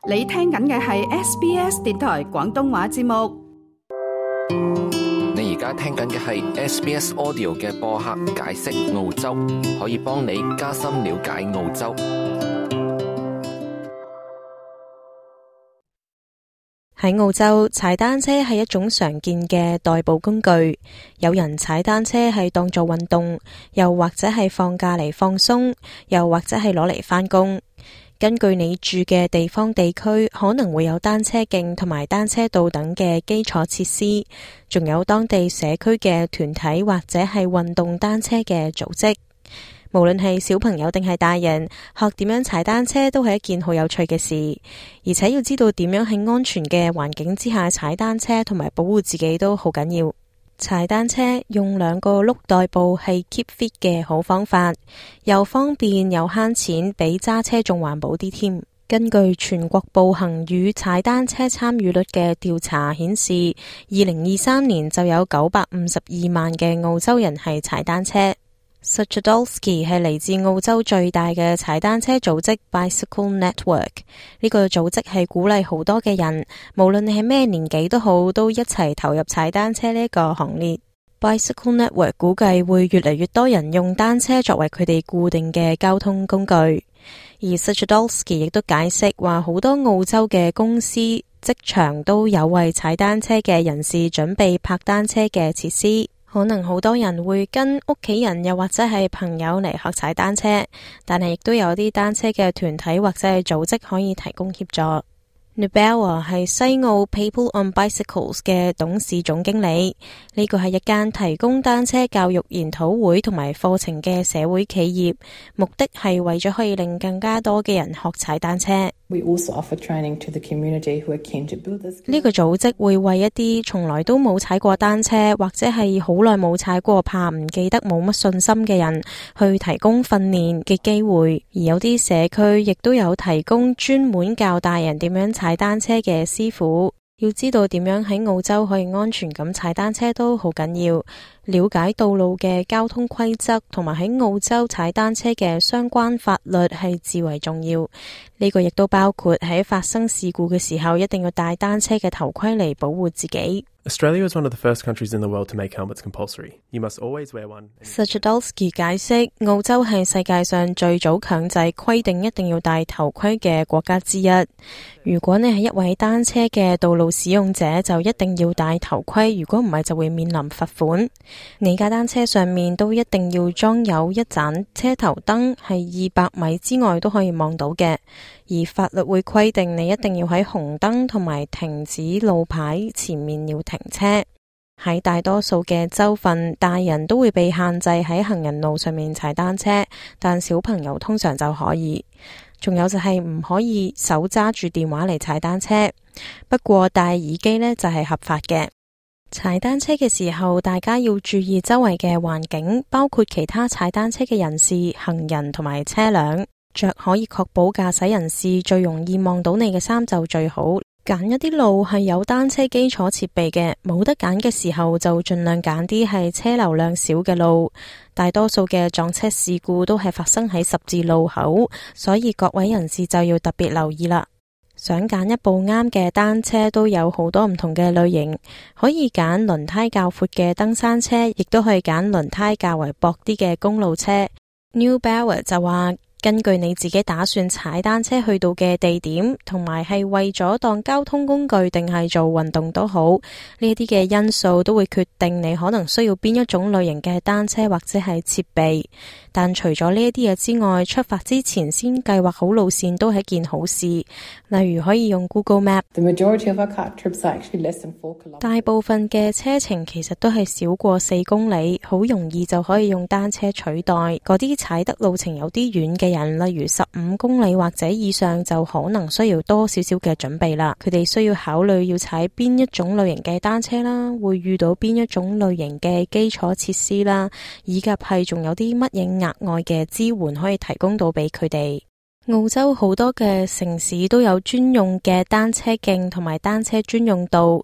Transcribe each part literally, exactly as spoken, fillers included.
你聽緊嘅係 S B S 電台廣東話節目。你而家聽緊嘅係 S B S Audio 嘅播客解釋澳洲，可以幫你加深了解澳洲。喺澳洲，踩單車係一種常見嘅代步工具。有人踩單車係當做運動，又或者係放假嚟放鬆，又或者係攞嚟返工。根據你住嘅地方地區，可能會有單車徑同埋單車道等嘅基礎設施，仲有當地社區嘅團體或者係運動單車嘅組織。無論係小朋友定係大人，學點樣踩單車都係一件好有趣嘅事，而且要知道點樣喺安全嘅環境之下踩單車同埋保護自己都好緊要。踩單車用兩個轆代步係 keep fit 嘅好方法，又方便又慳錢，比揸車仲環保啲添。根據全國步行與踩單車參與率嘅調查顯示，二零二三年就有九百五十二萬嘅澳洲人係踩單車。Suchodolski 係嚟自澳洲最大嘅踩單車組織 Bicycle Network， 呢個組織係鼓勵好多嘅人，無論你係咩年紀都好，都一齊投入踩單車呢個行列。Bicycle Network 估計會越嚟越多人用單車作為佢哋固定嘅交通工具，而 Suchodolski 亦都解釋話，好多澳洲嘅公司、職場都有為踩單車嘅人士準備泊單車嘅設施。可能好多人會跟屋企人又或者係朋友嚟學踩單車，但係亦都有啲單車嘅團體或者係組織可以提供協助。Nubella 係西澳 People on Bicycles 嘅董事總經理，呢個係一間提供單車教育研討會同埋課程嘅社會企業，目的係為咗可以令更加多嘅人學踩單車。We also offer training to the community who are keen to build this. 呢個組織會為一啲從來都冇踩過單車或者係好耐冇踩過，怕唔記得冇乜信心嘅人去提供訓練嘅機會，而有啲社區亦都有提供專門教大人點樣踩單車嘅師傅。要知道點樣喺澳洲可以安全咁踩單車都好緊要，了解道路嘅交通規則同埋喺澳洲踩單車嘅相關法律係至為重要。呢個亦都包括喺發生事故嘅時候一定要戴單車嘅頭盔嚟保護自己。Australia is one of the first countries in the world to make helmets compulsory. You must always wear one. Suchodolski 解釋，澳洲係世界上最早強制規定一定要戴頭盔嘅國家之一。如果你係一位單車嘅道路使用者，就一定要戴頭盔，如果唔係就會面臨罰款。你架單車上面都一定要裝有一盞車頭燈，係二百米之外都可以望到嘅。而法律會規定你一定要喺紅燈同埋停止路牌前面要停車。喺大多數嘅州份，大人都會被限制喺行人路上面踩單車，但小朋友通常就可以。仲有就係唔可以手揸住電話嚟踩單車，不過戴耳機呢就係合法嘅。踩單車嘅時候，大家要注意周圍嘅環境，包括其他踩單車嘅人士、行人同埋車輛。着可以確保駕駛人士最容易望到你嘅衫就最好。揀一啲路係有單車基礎設備嘅，冇得揀嘅時候就盡量揀啲係車流量少嘅路。大多數嘅撞車事故都係發生喺十字路口，所以各位人士就要特別留意啦。想揀一部啱嘅單車都有好多唔同嘅類型，可以揀輪胎較闊嘅登山車，亦都可以揀輪胎較為薄啲嘅公路車。Nubella 就話，根據你自己打算踩單車去到嘅地點，同埋係為咗當交通工具定係做運動都好，呢啲嘅因素都會決定你可能需要邊一種類型嘅單車或者係設備。但除咗呢一啲嘢之外，出發之前先計劃好路線都係一件好事。例如可以用 Google Map。The majority of our car trips are actually less than four kilometers. 大部分嘅車程其實都係少過四公里，好容易就可以用單車取代。嗰啲踩得路程有啲遠嘅人，例如十五公里或者以上，就可能需要多少少嘅準備啦。佢哋需要考慮要踩邊一種類型嘅單車啦，會遇到邊一種類型嘅基礎設施啦，以及係仲有啲乜嘢額外嘅支援可以提供到俾佢哋。澳洲好多嘅城市都有專用嘅單車徑同埋單車專用道。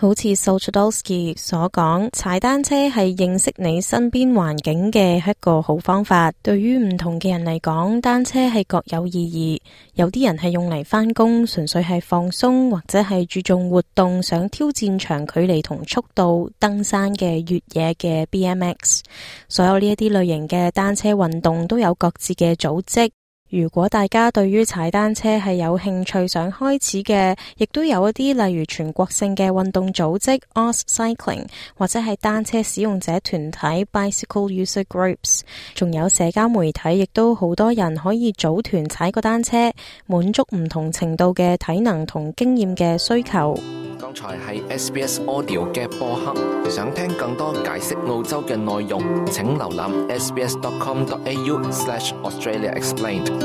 好似 Solchadowski 所講，踩單車係認識你身邊環境嘅一個好方法。對於唔同嘅人嚟講，單車係各有意義。有啲人係用嚟返工，純粹係放鬆，或者係注重活動，想挑戰長距離同速度、登山嘅越野嘅 B M X。所有呢一啲類型嘅單車運動都有各自嘅組織。如果大家對於踩單車係有興趣想開始嘅，亦都有一啲例如全國性嘅運動組織 Oz Cycling， 或者係單車使用者團體 Bicycle User Groups， 仲有社交媒體，亦都好多人可以組團踩個單車，滿足唔同程度嘅體能同經驗嘅需求。剛才係 S B S Audio 嘅播客，想聽更多解釋澳洲嘅內容，請瀏覽 sbs.com.au slash Australia Explained。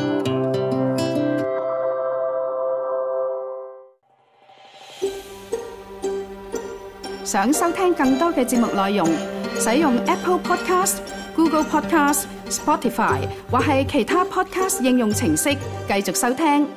想收聽更多嘅節目內容，使用 Apple Podcast、Google Podcast、Spotify 或係其他 Podcast 應用程式繼續收聽。